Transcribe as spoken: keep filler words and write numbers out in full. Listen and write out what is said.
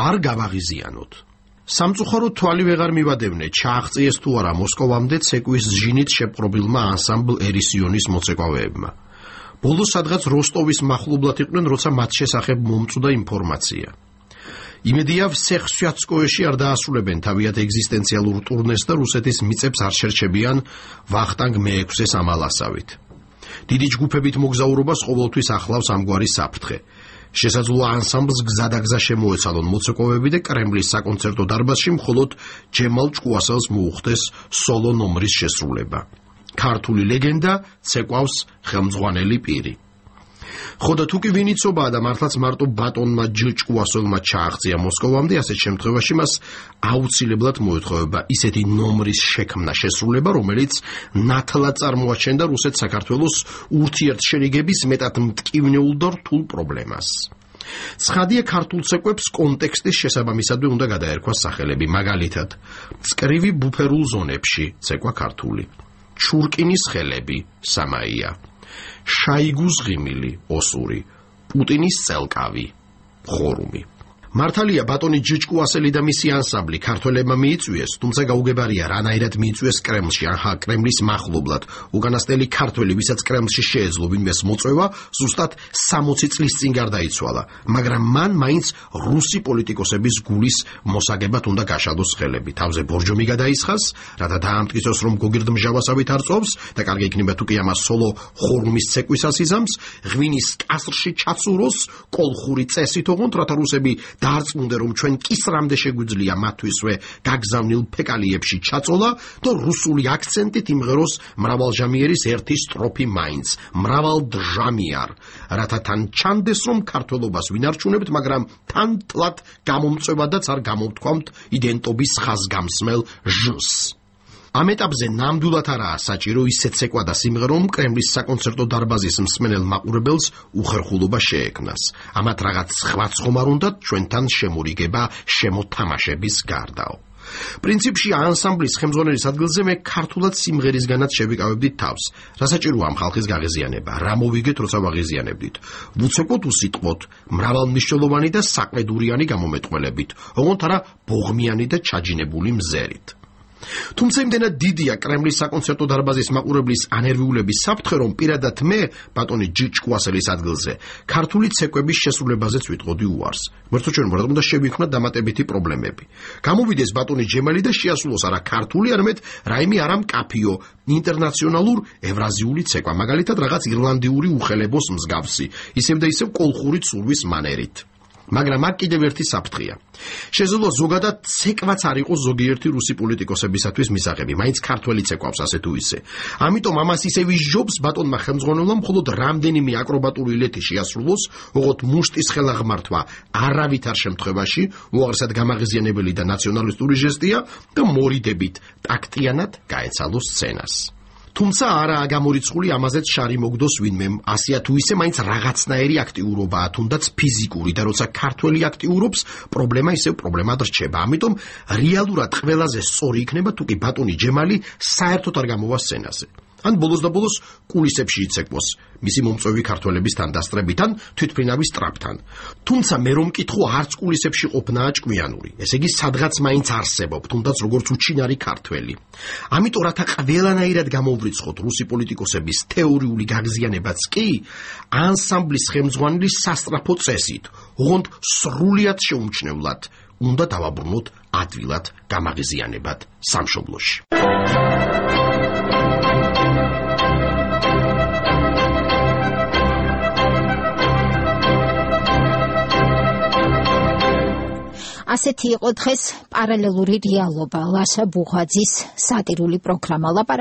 არ გავაღიზიანოთ. სამწუხაროდ თვალი ვეღარ მივადევნე, ჩააღწიეს თუ არა მოსკოვამდე ცეკვის ჟინით შეპყრობილმა ანსამბლ ერისიონის მოცეკვავეებმა. ბოლოს სადღაც როსტოვის მახლობლად იყვნენ, როცა მათ შესახებ მომწვდა ინფორმაცია. იმედია ვსეხ-სვიატსკოეში არ დაასრულებენ თავიანთ ეგზისტენციალურ ტურნეს და რუსეთის მიწებს არ შერჩებიან ვახტანგ მეექვსეს ამალასავით. დიდი ჯგუფებით მოგზაურობას ყოველთვის ახლავს ამგვარი საფრთხე. შესაძლოა ანსამბლს გზადაგზა შემოეცალონ მოცეკვავეები და კრემლის საკონცერტო დარბაზში მხოლოდ ჯემალ ჭკუასელს მოუხდეს სოლო ნომრის შესრულება. ქართული ლეგენდა ცეკვავს ხელმძღვანელი პირი. ხოდა თუ კი ვინიცობაა და მართლაც მარტო ბატონმა ჭკუასელმა ჩააღწია მოსკოვამდე, ასეთ შემთხვევაში მას აუცილებლად მოეთხოვება ისეთი ნომრის შექმნა შესრულება, რომელიც ნათლად წარმოაჩენდა რუსეთ-საქართველოს ურთიერთშერიგების მეტად მტკივნეულ და რთულ პრობლემას. ცხადია, ქართულ ცეკვებს კონტექსტის შესაბამისად უნდა გადაერქვას სახელები, მაგალითად, მწკრივი ბუფერულ ზონებში ცეკვა ქართული, ჩურკინის ხელები სამაია, შაიგუს ღიმილი ოსური, პუტინის წელკავი ხორუმი. მართალია ბატონი ჭკუასელი და მისი ანსამბლი ქართველებმა მიიწვიეს, თუმცა გაუგებარია რანაირად მიიწვიეს კრემლში ან კრემლის მახლობლად. უკანასკნელი ქართველი, ვისაც კრემლში შეეძლო ვინმეს მოწვევა, ზუსტად სამოცი წლის წინ გარდაიცვალა, მაგრამ მან მაინც რუსი პოლიტიკოსების გულის მოსაგებად უნდა გაშადოს ხელები. თავზე ბორჯომი გადაისხას, რათა დაამტკიცოს, რომ გოგირდმჟავასავით არ წოვს და კარგი იქნება თუ კი ამას სოლო ხორუმის ცეკვისას იზამს, ღვინის კასრში ჩაცუროს, კოლხური წესით ოღონდ, რათა რუსები დაარწმუნდე, რომ ჩვენ კისრამდე შეგვიძლია მათთვისვე გაგზავნილ ფეკალიებში ჩაწოლა და რუსული აქცენტით იმღეროს მრავალჟამიერის ერთი სტროფი მაინც, მრავალდჟამიარ, რათა თან ჩანდეს, რომ ქართველობას ვინარჩუნებთ, მაგრამ თან ტლად გამომწვევადაც არ გამოვთქვამთ იდენტობის ხაზგამსმელ ჟს. ამ ეტაპზე ნამდვილად არაა საჭირო ისეთ ცეკვა და სიმღერა, რომ კრემლის საკონცერტო დარბაზის მსმენელ მაყურებელს უხერხულობა შეექმნას. ამათ რაღაც სხვა ცხომარ უნდათ ჩვენთან შემურიგება შემოთამაშების გარდაო. პრინციპში ანსამბლის ხელმძღვანელის ადგილზე მე ქართულად სიმღერისგანაც შევიკავებდით თავს. რა საჭიროა ამ ხალხის გაღიზიანება? რა მოვიგეთ, როცა ვაღიზიანებდით? ვუცეკოთ, უსიტყვოთ, მრავალმნიშვნელოვანი და საყედურიანი გამომეტყველებით, ოღონდ არა ბოღმიანი და ჩაჯინებული მზერით. თუმცა იმდენად დიდია კრემლის საკონცერტო დარბაზის მაყურებლის ანერვიულების საფრთხე, რომ პირადად მე, ბატონი ჭკუასელის ადგილზე, ქართული ცეკვების შესრულებაზეც ვიტყოდი უარს. მერტო ჩვენ ვართ უნდა შევიქმნათ დამატებითი პრობლემები. გამოვიდეს ბატონი ჯემალი და შეასრულოს არა ქართული, არამედ რაიმე არა მკაფიო, ინტერნაციონალურ ევრაზიული ცეკვა, მაგალითად რაღაც ირლანდიური უხელებოს მსგავსი, ისევ და ისევ კოლხური ცურვის მანერით. მაგრამ აქ კიდევ ერთი საფრთხეა. შესაძლოა ზოგადად ცეკვაც არ იყოს ზოგიერთი რუსი პოლიტიკოსებისათვის მისაღები, მაინც ქართველი ცეკვავს ასე თუ ისე. ამიტომ ამას ისევ ისჯობს ბატონმა ხელმძღვანელმა მხოლოდ რამდენიმე აკრობატული ილეთი შეასრულოს, ოღონდ მუშტის ხელაღმართვა არავითარ შემთხვევაში უაღრესად გამაღიზიანებელი და ნაციონალისტური ჟესტია და მორიდებით ტაქტიანად გაეცალოს სცენას. თუმცა არაა გამორიცხული ამაზეც შარი მოგდოს ვინმემ, ასეა თუ ისე მაინც რაღაცნაირი აქტიურობაა, თუნდაც ფიზიკური და როცა ქართველი აქტიურობს, პრობლემა ისევ პრობლემად რჩება. ამიტომ რეალურად ყველაზე სწორი იქნება თუ კი ბატონი ჯემალი საერთოდ არ გამოვა სცენაზე. ან ბოლოს და ბოლოს კულისებში იცეკვოს, მისი მომწვევი ქართველებისთან დასწრებიდან, თვითმფრინავის ტრაპთან. თუმცა მე რომ მკითხო, არც კულისებში ყოფნაა ჭკვიანური. ესე იგი, სადღაც მაინც არსებობ, თუნდაც როგორც უჩინარი ქართველი. ამიტომ რათა ყველანაირად გამოვრიცხოთ რუსი პოლიტიკოსების თეორიული გაღზიანებაც კი, ანსამბლის ხელმძღვანელის სასწრაფო წესით, ოღონდ სრულიად შეუმჩნევლად უნდა დავაბრუნოთ ადვილად გამაღიზიანებად სამშობლოში. ასეთი იყო დღეს პარალელური რეალობა, ლაშა ბუღაძის სატირული პროგრამა.